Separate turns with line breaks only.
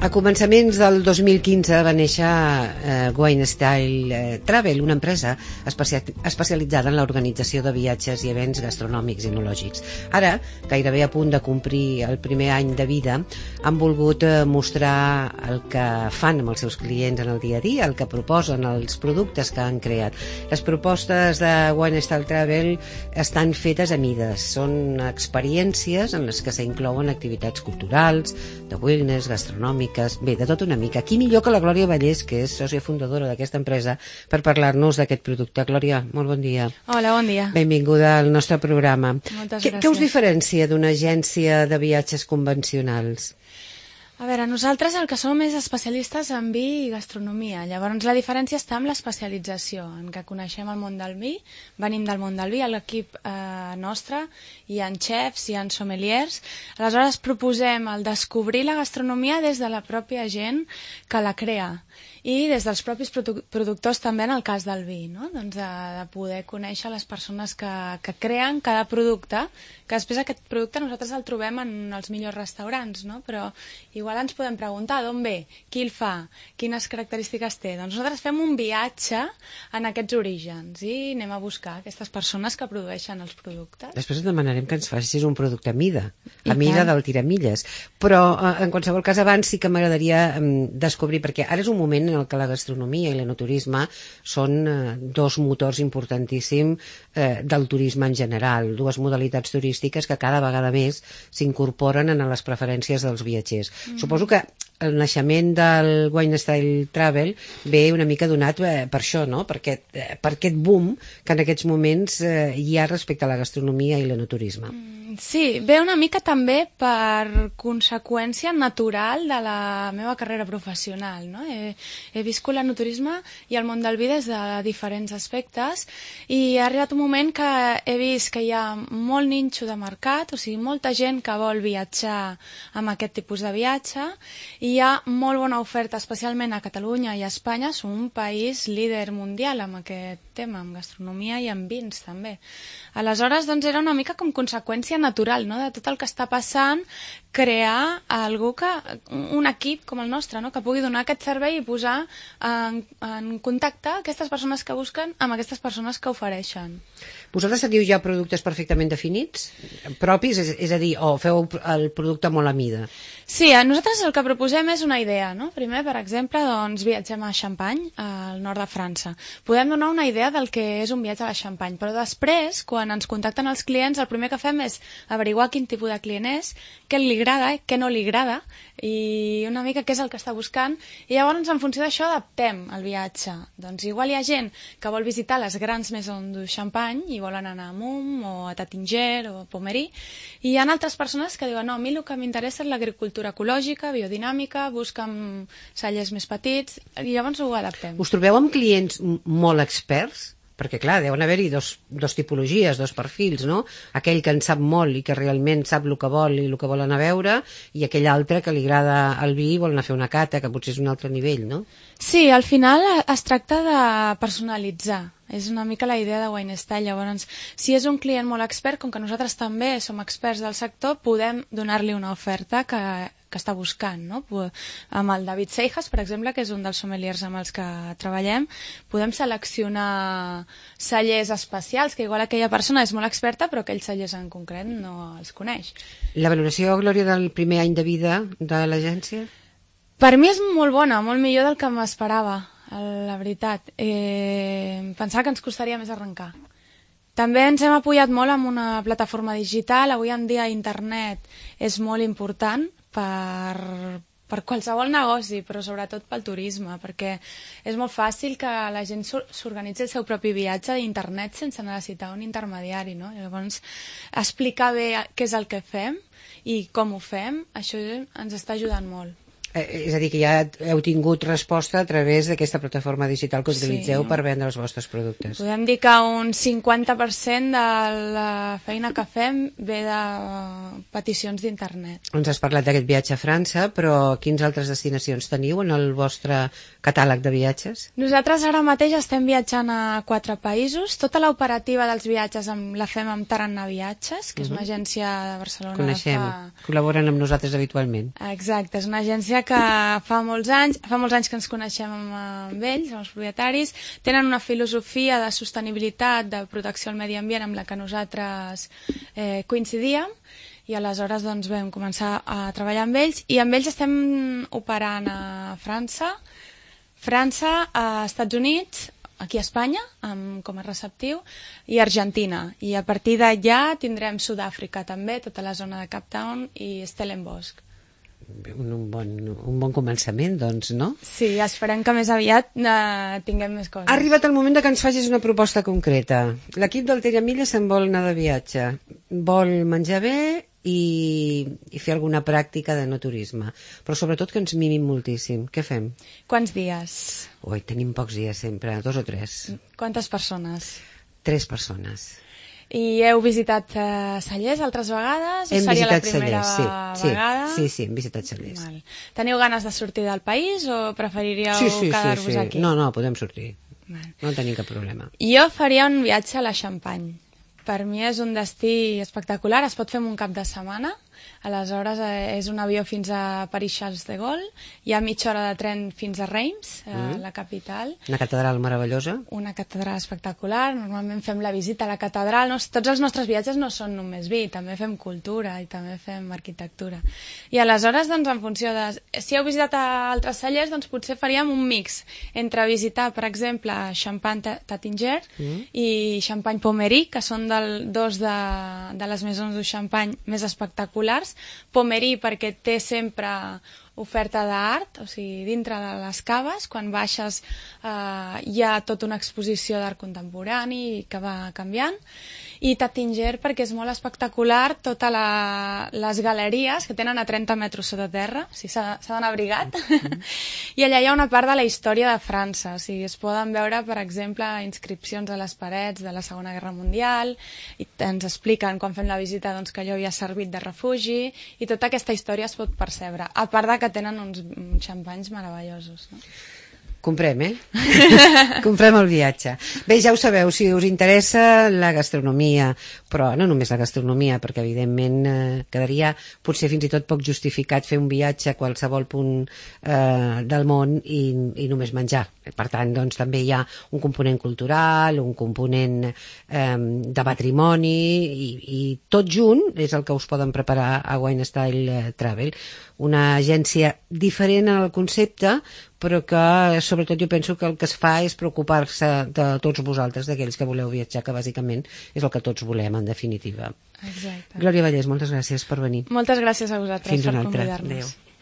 A començaments del 2015 va néixer Wine Style Travel, una empresa especialitzada en l'organització de viatges i events gastronòmics i enològics. Ara, gairebé a punt de complir el primer any de vida, han volgut mostrar el que fan amb els seus clients en el dia a dia, el que proposen, els productes que han creat. Les propostes de Wine Style Travel estan fetes a mides, són experiències en les que s'inclouen activitats culturals, de wellness, gastronòmiques, bé, de tot una mica. Qui millor que la Glòria Vallès, que és sòcia fundadora d'aquesta empresa, per parlar-nos d'aquest producte. Glòria, molt bon dia.
Hola, bon dia.
Benvinguda al nostre programa.
Moltes gràcies.
Què us diferencia d'una agència de viatges convencionals?
A veure, nosaltres el que som és especialistes en vi i gastronomia. Llavors la diferència està en l'especialització, en què coneixem el món del vi, venim del món del vi, a l'equip nostre hi ha xefs, hi ha sommeliers. Aleshores proposem el descobrir la gastronomia des de la pròpia gent que la crea i des dels propis productors també en el cas del vi, no? Doncs de poder conèixer les persones que creen cada producte, que després aquest producte nosaltres el trobem en els millors restaurants, no? Però igual ens podem preguntar d'on ve, qui el fa, quines característiques té. Doncs nosaltres fem un viatge en aquests orígens i anem a buscar aquestes persones que produeixen els productes.
Després et demanarem que ens facis un producte a mida del tiramilles. Però en qualsevol cas abans sí que m'agradaria descobrir, perquè ara és un moment en el que la gastronomia i l'enoturisme són dos motors importantíssims del turisme en general, dues modalitats turístiques que cada vegada més s'incorporen en les preferències dels viatgers. Suposo que el naixement del Wine Style Travel ve una mica donat per això, no? Per aquest boom que en aquests moments hi ha respecte a la gastronomia i l'enoturisme.
Sí, ve una mica també per conseqüència natural de la meva carrera professional, no? He viscut l'enoturisme i el món del vi des de diferents aspectes i ha arribat un moment que he vist que hi ha molt ninxo de mercat, o sigui, molta gent que vol viatjar amb aquest tipus de viatge i hi ha molt bona oferta, especialment a Catalunya i a Espanya. Som un país líder mundial amb aquest tema, amb gastronomia i amb vins també. Aleshores, doncs, era una mica com conseqüència natural, no?, de tot el que està passant, crear un equip com el nostre, no?, que pugui donar aquest servei i posar en contacte aquestes persones que busquen amb aquestes persones que ofereixen.
Vosaltres teniu ja productes perfectament definits, propis, és a dir, o feu el producte molt a mida?
Sí, nosaltres el que proposem és una idea, no? Primer, per exemple, doncs viatgem a Champagne, al nord de França. Podem donar una idea del que és un viatge a la Champagne, però després, quan ens contacten els clients, el primer que fem és averiguar quin tipus de client és, què li agrada, què no li agrada, i una mica què és el que està buscant, i llavors en funció d'això adaptem el viatge. Doncs igual hi ha gent que vol visitar les grans maisons du Champagne i volen anar a Mumm o a Taittinger o a Pommery, i hi ha altres persones que diuen no, a mi el que m'interessa és l'agricultura ecològica, biodinàmica, busquen cellers més petits, i llavors ho adaptem.
Us trobeu amb clients molt experts? Perquè, clar, deuen haver-hi dos tipologies, dos perfils, no? Aquell que en sap molt i que realment sap el que vol i el que vol anar a veure, i aquell altre que li agrada el vi i vol anar a fer una cata, que potser és un altre nivell, no?
Sí, al final es tracta de personalitzar. És una mica la idea de Wine Style. Llavors, si és un client molt expert, com que nosaltres també som experts del sector, podem donar-li una oferta que està buscant, no? Amb el David Seijas, per exemple, que és un dels sommeliers amb els que treballem, podem seleccionar cellers especials, que igual aquella persona és molt experta, però aquells cellers en concret no els coneix.
La valoració, Glòria, del primer any de vida de l'agència?
Per mi és molt bona, molt millor del que m'esperava, la veritat. Pensava que ens costaria més arrencar. També ens hem apoyat molt amb una plataforma digital. Avui en dia internet és molt important per qualsevol negoci, però sobretot pel turisme, perquè és molt fàcil que la gent s'organitzi el seu propi viatge d'internet sense necessitar un intermediari, no? Llavors, explicar bé què és el que fem i com ho fem, això ens està ajudant molt.
És a dir, que ja heu tingut resposta a través d'aquesta plataforma digital que utilitzeu per vendre els vostres productes.
Podem dir que un 50% de la feina que fem ve de peticions d'internet.
Ens has parlat d'aquest viatge a França, però quines altres destinacions teniu en el vostre catàleg de viatges?
Nosaltres ara mateix estem viatjant a 4 països. Tota l'operativa dels viatges la fem amb Tarannà Viatges, que és una agència de Barcelona.
Coneixem, col·laboren amb nosaltres habitualment.
Exacte, és una agència que fa molts anys que ens coneixem amb ells, amb els propietaris, tenen una filosofia de sostenibilitat, de protecció al medi ambient amb la que nosaltres coincidíem, i aleshores doncs, vam començar a treballar amb ells, i amb ells estem operant a França, a Estats Units, aquí a Espanya, com a receptiu, i Argentina. I a partir d'allà tindrem Sud-àfrica també, tota la zona de Cape Town i Stellenbosch.
Un bon començament, doncs, no?
Sí, esperem que més aviat tinguem més coses.
Ha arribat el moment de que ens facis una proposta concreta. L'equip del Teramilla se'n vol anar de viatge. Vol menjar bé i fer alguna pràctica de no turisme. Però sobretot que ens mimim moltíssim. Què fem?
Quants dies?
Ui, tenim pocs dies sempre, 2 o 3.
Quantes persones?
3 persones.
I heu visitat Cellers altres vegades?
Hem
seria
visitat
la primera
Cellers,
vegada?
Sí, hem visitat Cellers.
Val. Teniu ganes de sortir del país o preferiríeu quedar-vos aquí?
No, podem sortir.
Val.
No tenim cap problema.
Jo faria un viatge a la Champagne. Per mi és un destí espectacular, es pot fer en un cap de setmana, aleshores és un avió fins a París-Charles de Gaulle, hi ha mitja hora de tren fins a Reims, la capital.
Una catedral meravellosa.
Una catedral espectacular, normalment fem la visita a la catedral, tots els nostres viatges no són només vi, també fem cultura i també fem arquitectura. I aleshores, doncs, en funció de... Si heu visitat altres cellers, doncs potser faríem un mix entre visitar, per exemple, Champagne-Taittinger i Champagne-Pommery, que són dos de les maisons du Champagne més espectaculars. Pommery perquè té sempre oferta d'art, o sigui, dintre de les caves, quan baixes hi ha tota una exposició d'art contemporani que va canviant, i Taittinger perquè és molt espectacular totes les galeries que tenen a 30 metres sota terra, o sigui, s'ha d'anar abrigat, i allà hi ha una part de la història de França, o sigui, es poden veure, per exemple, inscripcions a les parets de la Segona Guerra Mundial, i ens expliquen quan fem la visita doncs, que allò havia servit de refugi, i tota aquesta història es pot percebre, a part de que tenen uns xampanys meravellosos, no?
Comprem, Comprem el viatge. Bé, ja ho sabeu, si us interessa la gastronomia, però no només la gastronomia, perquè evidentment quedaria potser fins i tot poc justificat fer un viatge a qualsevol punt del món i només menjar. Per tant, doncs, també hi ha un component cultural, un component de patrimoni i tot junt és el que us poden preparar a Wine Style Travel. Una agència diferent en el concepte, però que sobretot jo penso que el que es fa és preocupar-se de tots vosaltres, d'aquells que voleu viatjar, que bàsicament és el que tots volem, en definitiva.
Exacte.
Glòria Vallès, moltes gràcies per venir.
Moltes gràcies a vosaltres per convidar-nos.
Adéu.